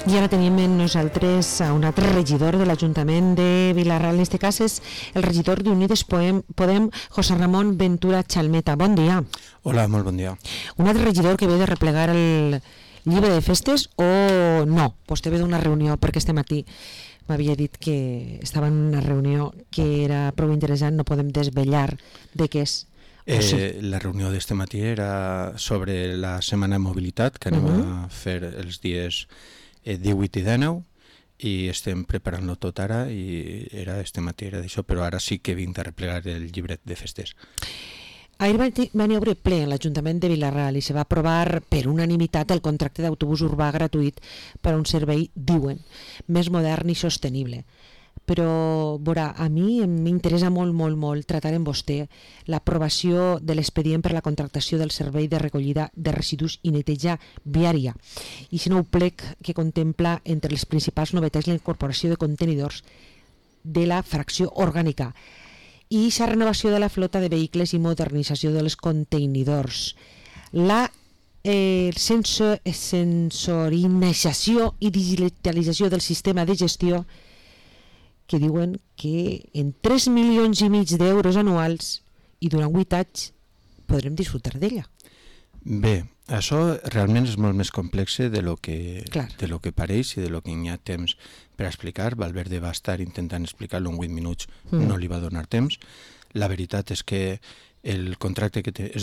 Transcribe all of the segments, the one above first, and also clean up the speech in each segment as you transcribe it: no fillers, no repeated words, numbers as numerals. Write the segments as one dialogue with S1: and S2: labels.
S1: I ara tenim amb nosaltres a un altre regidor de l'Ajuntament de Vila-real. En aquest cas és el regidor d'Unides Podem, José Ramón Ventura Chalmeta. Bon dia.
S2: Hola, molt bon dia.
S1: Un altre regidor que ve de replegar el llibre de festes o no? Vostè ve d'una reunió perquè este matí m'havia dit que estava en una reunió que era prou interessant, no podem desvetllar de què és.
S2: La reunió d'este matí era sobre la setmana de mobilitat que anem a fer els dies 18 i 19 i estem preparant-lo tot ara i era este matí, era d'això, però ara sí que vinc a replegar el llibret de festes.
S1: Ahir van haver ple en l'Ajuntament de Vila-real i se va aprovar per unanimitat el contracte d'autobús urbà gratuït per a un servei, diuen, més modern i sostenible. Però, veurà, a mi m'interessa molt tractar amb vostè l'aprovació de l'expedient per la contractació del servei de recollida de residus i neteja viària i si nou plec que contempla entre les principals novetats la incorporació de contenidors de la fracció orgànica i la renovació de la flota de vehicles i modernització dels contenidors. La sensorinització i digitalització del sistema de gestió que diuen que en 3,5 milions d'euros anuals i durant 8 anys podrem disfrutar d'ella.
S2: Bé, això realment és molt més complex de lo que pareix i de lo que hi ha temps per explicar. Valverde va estar intentant explicar-lo en 8 minuts, no li va donar temps. La veritat és que els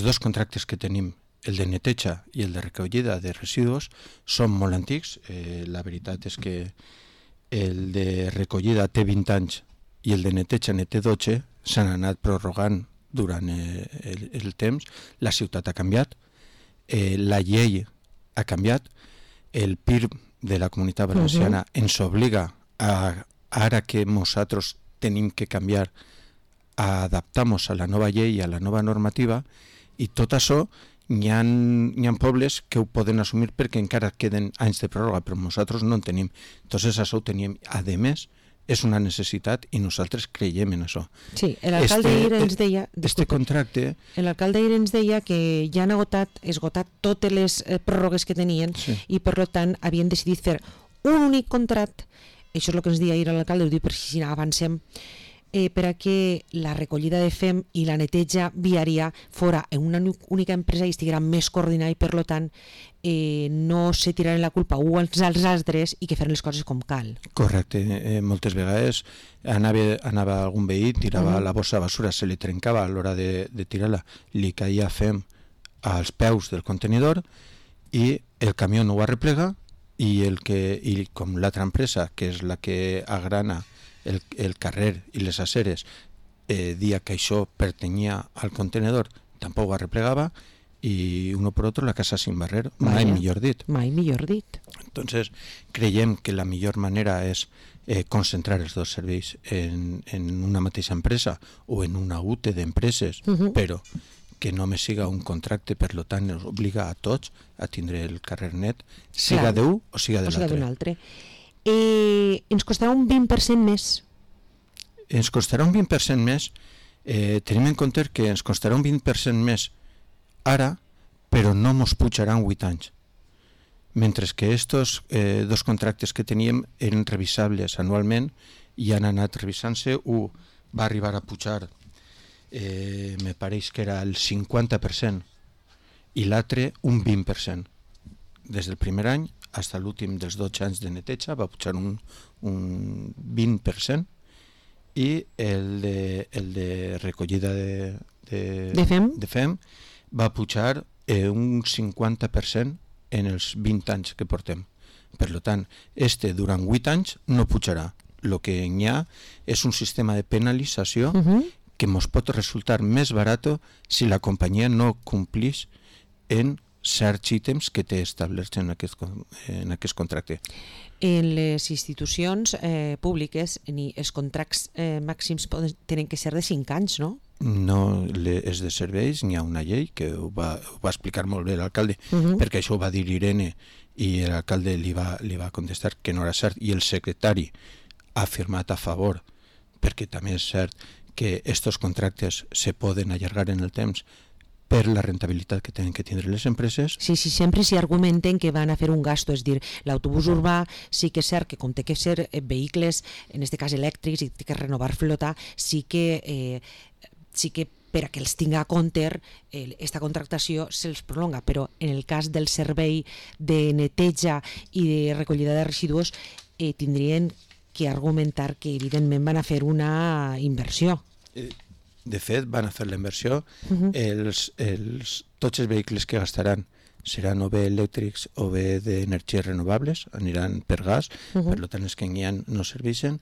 S2: dos contractes que tenim, el de neteja i el de recollida de residus, són molt antics. La veritat és que el de recollida té 20 anys i el de neteja ne té 12, s'han anat prorrogant durant el temps, la ciutat ha canviat, la llei ha canviat, el PIR de la Comunitat Valenciana ens obliga ara que nosaltres tenim que canviar a adaptar-nos a la nova llei i a la nova normativa i tot això hi ha pobles que ho poden assumir perquè encara queden anys de pròrroga, però nosaltres no en tenim. Entonces això ho tenim. A més, és una necessitat i nosaltres creiem en això.
S1: Sí, l'alcalde ahir ens deia... L'alcalde ahir ens deia que ja han esgotat totes les pròrrogues que tenien i per tant havien decidit fer un únic contracte, això és el que ens deia ahir l'alcalde, ho diu per si avancem, per a que la recollida de fem i la neteja viària fora en una única empresa i estiguera més coordinada i per tant no se tiraren la culpa uns als altres i que feren les coses com cal.
S2: Correcte, moltes vegades anava algun veí, tirava la bossa de basura, se li trencava a l'hora de tirar-la, li caia fem als peus del contenidor i el camió no ho arreplega i com l'altra empresa, que és la que agrana el carrer i les aceres, dia que això pertanyia al contenedor, tampoc ho arreplegava i uno per otro la casa sin barrer, mai millor dit. Entonces creiem que la millor manera és concentrar els dos serveis en una mateixa empresa o en una UTE d'empreses, però que només siga un contracte, per tant ens obliga a tots a tindre el carrer net, siga d'un o siga de l'altre.
S1: Ens costarà un 20% més.
S2: Ens costarà un 20% més, tenim en compte que ens costarà un 20% més ara, però no ens pujaran 8 anys. Mentre que estos dos contractes que teníem eren revisables anualment i han anat revisant-se, un va arribar a pujar, me pareix que era el 50% i l'altre un 20%. Des del primer any fins a l'últim dels 12 anys de neteja va pujar un 20% i el de recollida de fem va pujar un 50% en els 20 anys que portem. Per tant, durant 8 anys no pujarà. El que hi ha és un sistema de penalització que ens pot resultar més barat si la companyia no complís en certs ítems que té establerts en aquest contracte.
S1: En les institucions públiques els contractes màxims tenen que ser de 5 anys, no?
S2: No, és de serveis, n'hi ha una llei que ho va explicar molt bé l'alcalde, perquè això ho va dir Irene i l'alcalde li va contestar que no era cert i el secretari ha firmat a favor, perquè també és cert que aquests contractes se poden allargar en el temps per la rentabilitat que tenen que tindre les empreses.
S1: Sí, sempre s'hi argumenten que van a fer un gasto, és dir, l'autobús urbà sí que és cert que com té que ser vehicles, en aquest cas elèctrics, i té que renovar flota, sí que per a que els tinga a compte esta contractació se'ls prolonga, però en el cas del servei de neteja i de recollida de residus tindrien que argumentar que evidentment van a fer una inversió.
S2: De fet, van a fer la inversió. Tots els vehicles que gastaran seran o bé elèctrics o bé d'energies renovables, aniran per gas, per tant els que n'hi ha no serveixen.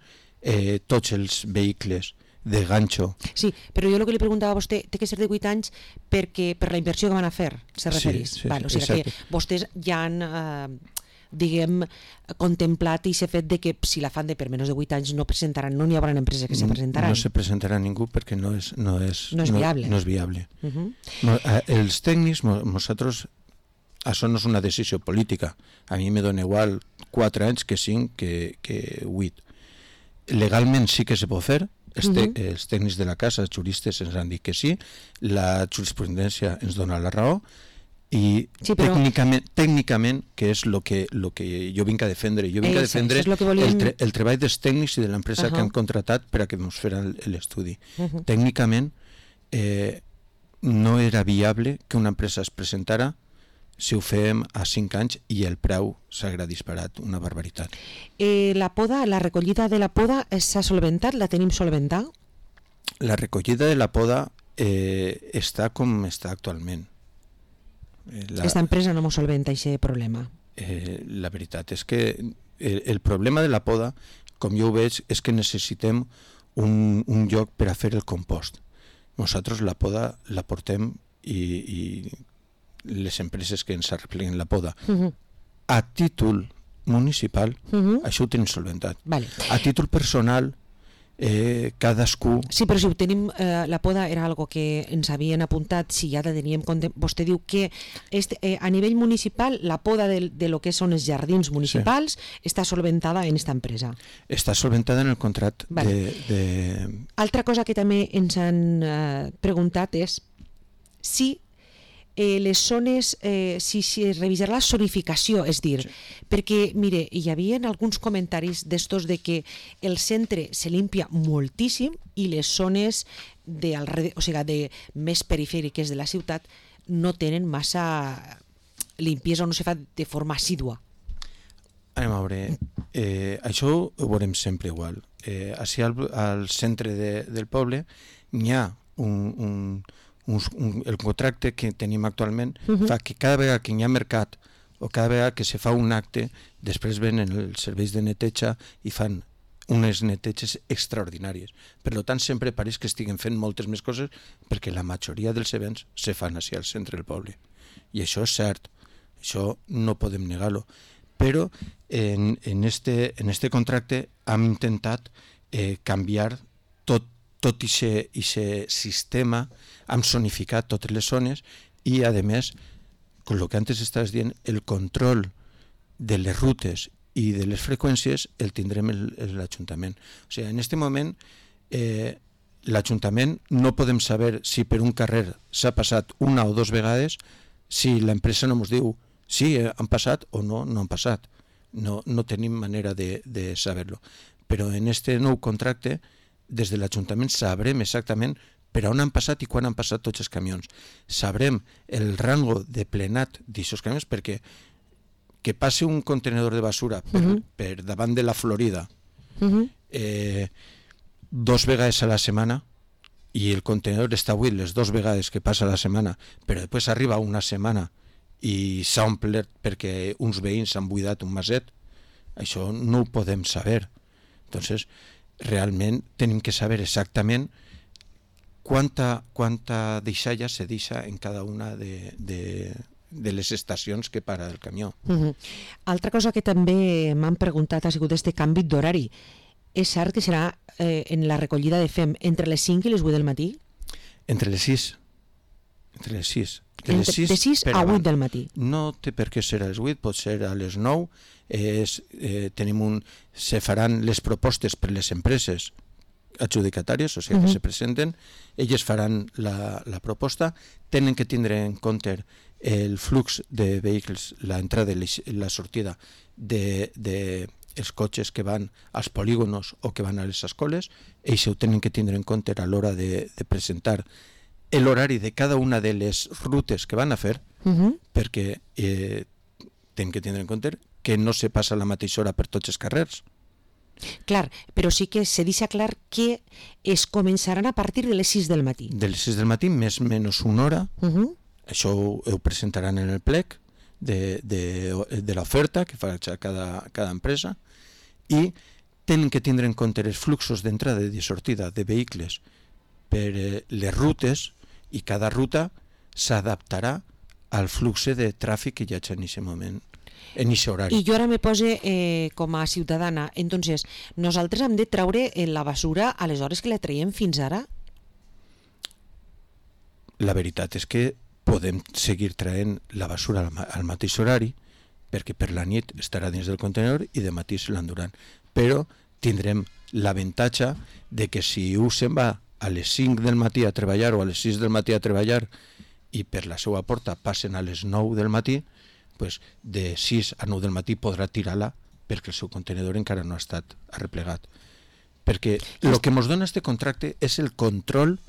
S2: Tots els vehicles de ganxo.
S1: Sí, però jo el que li preguntava a vostè té que ser de 8 anys perquè per la inversió que van a fer, se referís.
S2: Sí,
S1: o sigui que vostès ja han diguem, contemplat i s'ha fet de que si la fan de per menys de 8 anys no presentaran, no n'hi haurà empreses que se presentaran.
S2: No se presentarà ningú perquè no és
S1: viable.
S2: No és viable. Els tècnics, nosaltres, això no és una decisió política. A mi me dona igual 4 anys que 5 que 8. Legalment sí que se pot fer. Els tècnics de la casa, els juristes ens han dit que sí, la jurisprudència ens dona la raó i sí, però tècnicament, que és el que jo vinc a defendre, el treball dels tècnics i de l'empresa que han contratat per a que ens faran l'estudi. Tècnicament no era viable que una empresa es presentara si ho fem a 5 anys i el preu s'haurà disparat, una barbaritat.
S1: La poda, la recollida de la poda s'ha solventat? La tenim solventada?
S2: La recollida de la poda està com està actualment.
S1: Aquesta empresa no m'ho solventa aquest problema.
S2: La veritat és que el problema de la poda, com jo ho veig, és que necessitem un lloc per a fer el compost. Nosaltres la poda la portem i les empreses que ens arrepleguen la poda a títol municipal, això ho tenim solventat. A títol personal, cadascú...
S1: Sí, però si ho tenim, la poda era algo que ens havien apuntat, si ja la teníem compte. Vostè diu que a nivell municipal la poda de lo que són els jardins municipals està solventada en esta empresa.
S2: Està solventada en el contracte de...
S1: Altra cosa que també ens han preguntat és si les zones, si es revisarà la zonificació, és dir, perquè, mire, hi havia alguns comentaris d'estos de que el centre se limpia moltíssim i les zones de més perifèriques de la ciutat no tenen massa limpiesa o no se fa de forma assídua.
S2: Anem a veure, això ho veurem sempre igual. Així al centre del poble n'hi ha el contracte que tenim actualment fa que cada vegada que hi ha mercat o cada vegada que se fa un acte, després venen els serveis de neteja i fan unes neteges extraordinàries. Per tant, sempre pareix que estiguen fent moltes més coses perquè la majoria dels events se fan així al centre del poble. I això és cert, això no podem negar-lo. Però en este contracte hem intentat canviar tot aquest sistema, hem zonificat totes les zones i, a més, com el que antes estaves dient, el control de les rutes i de les freqüències el tindrem l'Ajuntament. O sigui, en aquest moment, l'Ajuntament no podem saber si per un carrer s'ha passat una o dues vegades si l'empresa no ens diu sí, han passat o no han passat. No tenim manera de saber-lo. Però en aquest nou contracte, des de l'Ajuntament sabrem exactament per on han passat i quan han passat tots els camions. Sabrem el rango de plenat d'aquests camions perquè que passi un contenedor de basura per davant de la Florida 2 vegades a la setmana i el contenedor està buit les 2 vegades que passa a la setmana, però després arriba una setmana i s'ha omplert perquè uns veïns han buidat un maset, això no ho podem saber. Entonces, realment tenim que saber exactament quanta deixalla se deixa en cada una de les estacions que para el camió.
S1: Altra cosa que també m'han preguntat ha sigut este canvi d'horari. És cert que serà en la recollida de fem entre les 5 i les 8 del matí?
S2: Entre les 6. De
S1: 6 a 8 del matí.
S2: No té per què ser a les 8, pot ser a les 9. Se faran les propostes per les empreses adjudicatàries, o sigui, que se presenten, elles faran la proposta, tenen que tindre en compte el flux de vehicles, l'entrada i la sortida dels cotxes que van als polígonos o que van a les escoles, ells ho tenen que tindre en compte a l'hora de presentar l'horari de cada una de les rutes que van a fer, perquè tenen que tindre en compte que no se passa la mateixa hora per tots els carrers.
S1: Clar, però sí que se deixa clar que es començaran a partir de les 6 del matí.
S2: De les 6 del matí, més o menys una hora. Això ho presentaran en el plec de l'oferta que fa cada empresa, i tenen que tindre en compte els fluxos d'entrada i de sortida de vehicles per les rutes, i cada ruta s'adaptarà al flux de tràfic que hi ha en aquest moment, en aquest horari.
S1: I jo ara me pose com a ciutadana, entonces, nosaltres hem de treure la basura a les hores que la traiem fins ara?
S2: La veritat és que podem seguir traient la basura al mateix horari, perquè per la nit estarà dins del contenedor i de matí se l'enduran. Però tindrem l'avantatge de que si un se'n va a les 5 del matí a treballar o a les 6 del matí a treballar i per la seva porta passen a les 9 del matí, pues de 6 a 9 del matí podrà tirar-la perquè el seu contenedor encara no ha estat arreplegat. Perquè el que ens dona aquest contracte és el control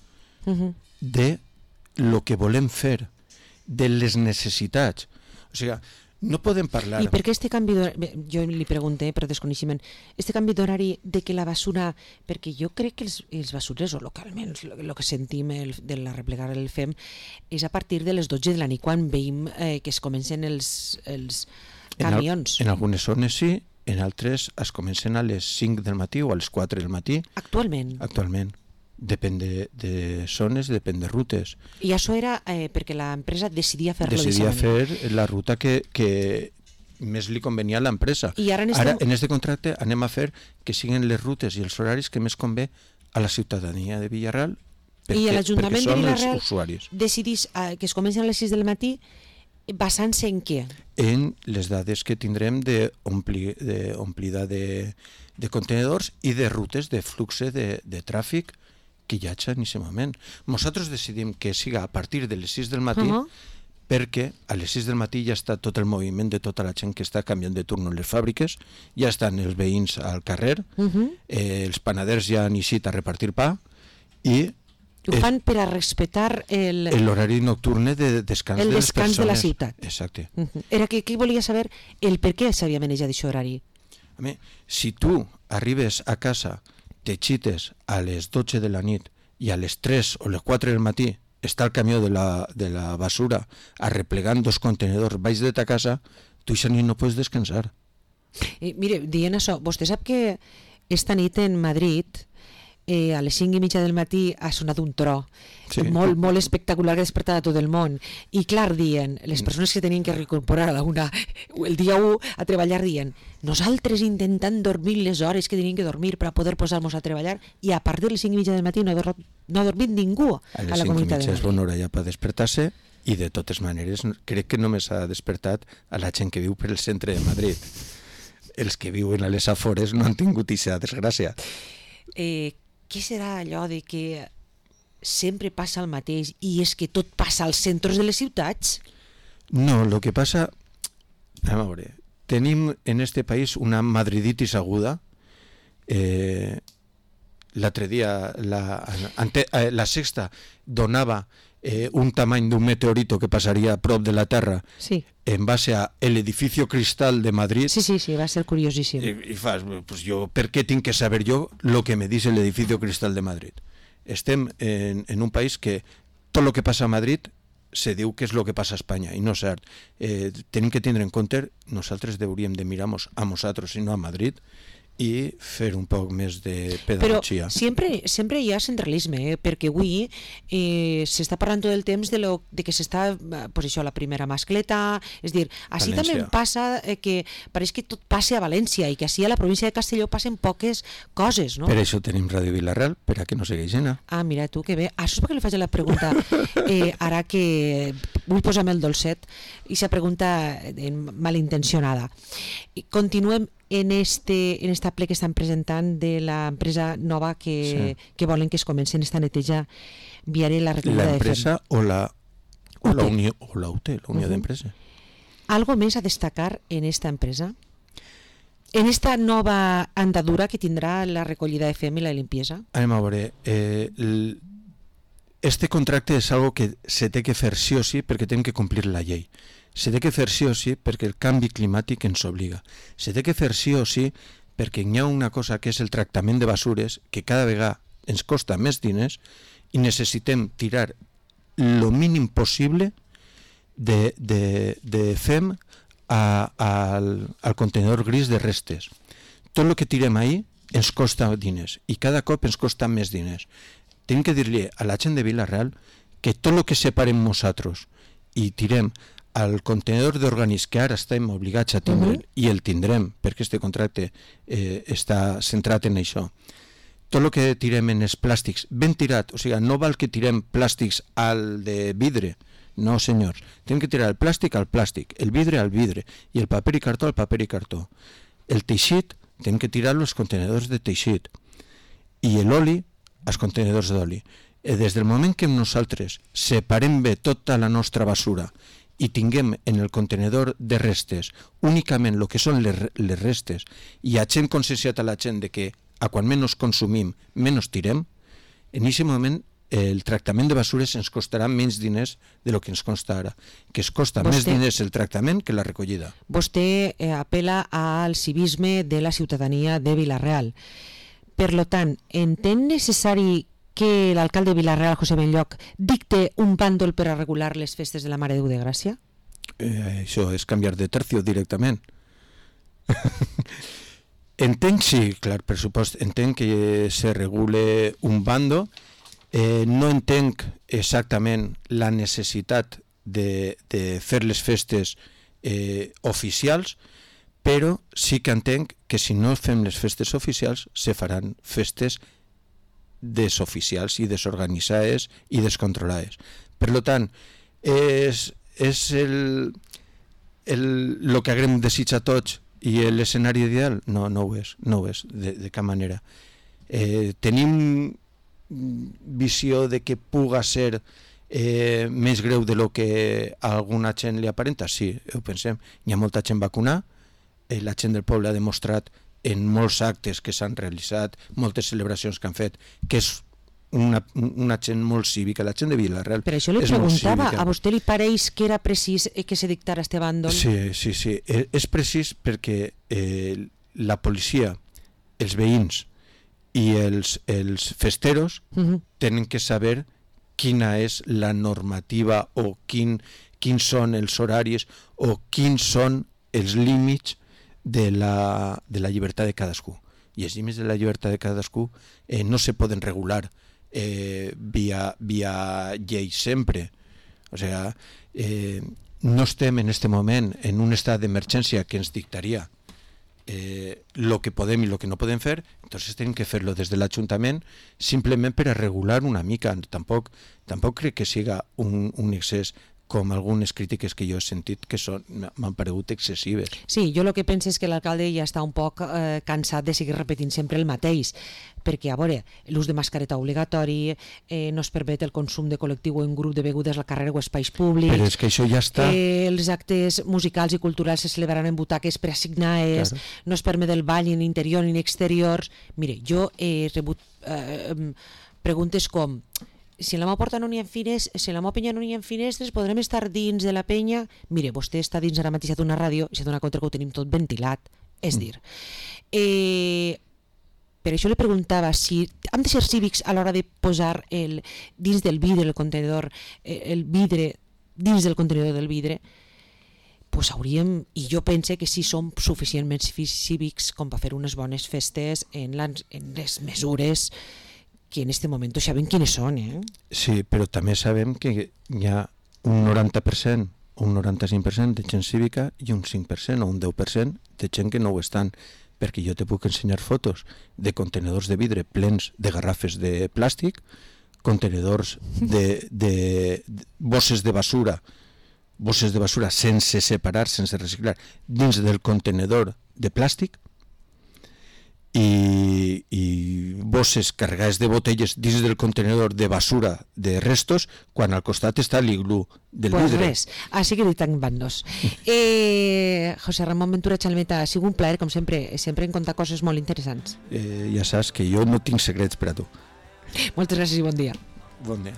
S2: de el que volem fer, de les necessitats. O sigui, no podem parlar...
S1: I per què este canvi d'horari, jo li pregunté per desconeixement, este canvi d'horari de que la basura, perquè jo crec que els basurers, o localment, el que sentim de la replegar el FEM, és a partir de les 12 de la nit, quan veiem que es comencen els camions.
S2: En algunes zones sí, en altres es comencen a les 5 del matí o a les 4 del matí.
S1: Actualment?
S2: Actualment. Depèn de zones, depèn de rutes.
S1: I això era perquè l'empresa decidia fer-lo
S2: Decidia fer la ruta que més li convenia a l'empresa. Ara, en aquest contracte, anem a fer que siguin les rutes i els horaris que més convé a la ciutadania de Villarreal,
S1: I l'Ajuntament de Villarreal
S2: decidís
S1: que es comencen a les 6 del matí basant-se en què?
S2: En les dades que tindrem d'omplida de contenedors i de rutes de flux de tràfic que hi ha en aquest moment. Nosaltres decidim que siga a partir de les 6 del matí perquè a les 6 del matí ja està tot el moviment de tota la gent que està canviant de turno en les fàbriques, ja estan els veïns al carrer, els panaders ja han eixit a repartir pa i
S1: ho fan per a respectar
S2: l'horari nocturne de descans de les persones. El
S1: descans de la ciutat.
S2: Exacte.
S1: Era que volia saber el per què s'havia manejat aquest horari.
S2: Si tu arribes a casa, te xites a les 12 de la nit i a les 3 o les 4 del matí està el camió de la basura arreplegant 2 contenedors baix de ta casa, tu aquesta nit no pots descansar.
S1: Mire, dient això, vostè sap que esta nit en Madrid a les 5:30 del matí ha sonat un tro molt, molt espectacular que ha despertat a tot el món, i clar, dient les persones que tenien que reincorporar a la una el dia 1 a treballar, dient nosaltres intentant dormir les hores que tenien que dormir per a poder posar-nos a treballar, i a partir de les 5:30 del matí no ha dormit ningú a la Comunitat de Madrid.
S2: És bona hora ja per despertar-se, i de totes maneres crec que només ha despertat a la gent que viu per el centre de Madrid. Els que viuen a les afores no han tingut aquesta desgràcia.
S1: Què serà allò de que sempre passa el mateix i és que tot passa als centres de les ciutats?
S2: No, el que passa... A veure, tenim en este país una madriditis aguda. L'altre dia la Sexta donava un tamany d'un meteorito que passaria a prop de la Terra en base a l'edificio Cristal de Madrid.
S1: Sí, va ser curiosíssim.
S2: I fas, pues jo, per què tinc que saber jo lo que me dice el edificio Cristal de Madrid? Estem en un país que tot el que passa a Madrid se diu que és el que passa a Espanya, i no és cert. Tenim que tindre en compte, nosaltres hauríem de mirar-nos a nosaltres i no a Madrid, i fer un poc més de pedagogia.
S1: Però sempre hi ha centralisme, perquè avui s'està parlant tot el temps de que s'està, pues això, la primera mascleta, és dir, així també passa que pareix que tot passa a València i que així a la província de Castelló passen poques coses, no?
S2: Per això tenim Ràdio Villarreal, per a que no segueix anar.
S1: Ah, mira tu, que bé. Això és perquè li faig la pregunta ara que vull posar-me el dolcet i esa pregunta malintencionada. Continuem en esta ple que estan presentant de l'empresa nova que volen que es comencen esta neteja viària i la recollida de
S2: l'empresa o la Unió o la UT, la Unió d'Empresa.
S1: Algo més a destacar en esta empresa? En esta nova andadura que tindrà la recollida de fem i la limpiesa?
S2: Anem a veure, este contracte és algo que se té que fer sí o sí perquè hem que complir la llei. Se té que fer sí o sí perquè el canvi climàtic ens obliga. Se té que fer sí o sí perquè hi ha una cosa que és el tractament de basures que cada vegada ens costa més diners i necessitem tirar lo mínim possible de fem al contenedor gris de restes. Tot el que tirem ahí ens costa diners i cada cop ens costa més diners. Tenim que dir-li a la gent de Vila-real que tot el que separem nosaltres i tirem al contenedor d'orgànics que ara estem obligats a tindre i el tindrem perquè este contracte està centrat en això, tot el que tirem en els plàstics ben tirat, o sigui, no val que tirem plàstics al de vidre. No, senyors, tenim que tirar el plàstic al plàstic, el vidre al vidre i el paper i cartó al paper i cartó. El teixit tenim que tirar-lo als contenedors de teixit i l'oli als contenedors d'oli. Des del moment que nosaltres separem bé tota la nostra basura i tinguem en el contenedor de restes únicament el que són les restes i hagin conscienciat a la gent de que a quan menys consumim, menys tirem, en aquest moment el tractament de basures ens costarà menys diners de lo que ens costa ara, que es costa més diners el tractament que la recollida.
S1: Vostè apela al civisme de la ciutadania de Vila-real. Per lo tant, entén necessari que l'alcalde de Vila-real, José Benlloch, dicte un bàndol per a regular les festes de la Mare de Déu de Gràcia?
S2: Això és canviar de tercio directament. Entenc, sí, clar, per supost, entenc que se regule un bando. No entenc exactament la necessitat de fer les festes oficials, però sí que entenc que si no fem les festes oficials se faran festes desoficials i desorganitzades i descontrolades. Per tant, és el que haguem desitjat tots i l'escenari ideal? No ho és, de cap manera. Tenim visió de que puga ser més greu de lo que a alguna gent li aparenta? Sí, ho pensem. Hi ha molta gent vacunada, la gent del poble ha demostrat en molts actes que s'han realitzat, moltes celebracions que han fet, que és una gent molt cívica, la gent de Vila-real.
S1: Per això li preguntava, a vostè li pareix que era precís que se dictara este bàndol?
S2: Sí, és precís perquè la policia, els veïns i els festeros tenen que saber quina és la normativa o quins són els horaris o quins són els límits de la llibertat de cadascú. I els límits de la llibertat de cadascú no se poden regular via llei sempre. O sigui, no estem en aquest moment en un estat d'emergència que ens dictaria lo que podem i lo que no podem fer, entonces tenim que fer-lo des de l'Ajuntament simplement per a regular una mica. Tampoc crec que siga un excés com algunes crítiques que jo he sentit que m'han paregut excessives.
S1: Sí, jo el que penso és que l'alcalde ja està un poc cansat de seguir repetint sempre el mateix, perquè, a veure, l'ús de mascareta obligatori, no es permet el consum de col·lectiu o en grup de begudes al carrer o espais públics.
S2: Però és que això ja està.
S1: Els actes musicals i culturals se celebraran en butaques preassignades, no es permet el ball ni en interior ni en exteriors. Mire, jo he rebut preguntes com: si en la meva porta no n'hi ha finestres, si en la meva penya no n'hi ha finestres, podrem estar dins de la penya? Mire, vostè està dins ara mateix d'una ràdio i s'ha donat compte que ho tenim tot ventilat. És dir, per això li preguntava si han de ser cívics a l'hora de posar dins del vidre el contenidor, el vidre dins del contenidor del vidre, pues hauríem, i jo pense que sí som suficientment cívics com per fer unes bones festes en les mesures que en aquest moment sabem quines són.
S2: Sí, però també sabem que hi ha un 90%, un 95% de gent cívica i un 5% o un 10% de gent que no ho estan, perquè jo te puc ensenyar fotos de contenedors de vidre plens de garrafes de plàstic, contenedors de bosses de basura bosses de basura sense separar, sense reciclar, dins del contenedor de plàstic, i bosses carregades de botelles dins del contenedor de basura de restos, quan al costat està l'iglú del vidre.
S1: Pues res, així que ditan bandos. José Ramón Ventura Chalmeta, ha sigut un plaer, com sempre en contar coses molt interessants.
S2: Ja saps que jo no tinc secrets per a tu.
S1: Moltes gràcies i bon dia.
S2: Bon dia.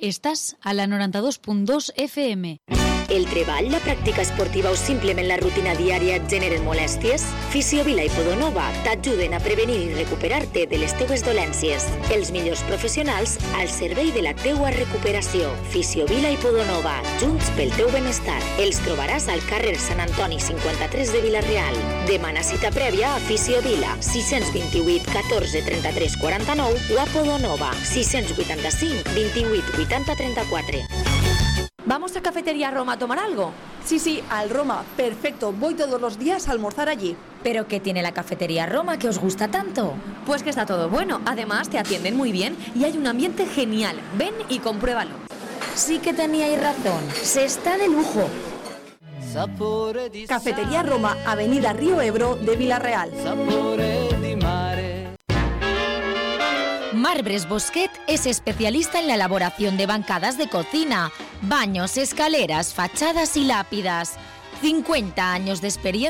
S3: Estàs a la 92.2 FM.
S4: El treball, la pràctica esportiva o simplement la rutina diària et generen molèsties? Fisiovila i Podonova t'ajuden a prevenir i recuperar-te de les teues dolències. Els millors professionals al servei de la teua recuperació. Fisiovila i Podonova, junts pel teu benestar. Els trobaràs al carrer Sant Antoni 53 de Vila-real. Demana cita prèvia a Fisiovila 628 14 33 49 o a Podonova 685 28 80 34.
S5: ¿Vamos a Cafetería Roma a tomar algo?
S6: Sí, al Roma. Perfecto. Voy todos los días a almorzar allí.
S5: ¿Pero qué tiene la Cafetería Roma que os gusta tanto?
S6: Pues que está todo bueno. Además, te atienden muy bien y hay un ambiente genial. Ven y compruébalo.
S5: Sí que teníais razón. Se está de lujo.
S6: Cafetería Roma, Avenida Río Ebro de Vila-real.
S3: Marbres Bosquet es especialista en la elaboración de bancadas de cocina, baños, escaleras, fachadas y lápidas. 50 años de experiencia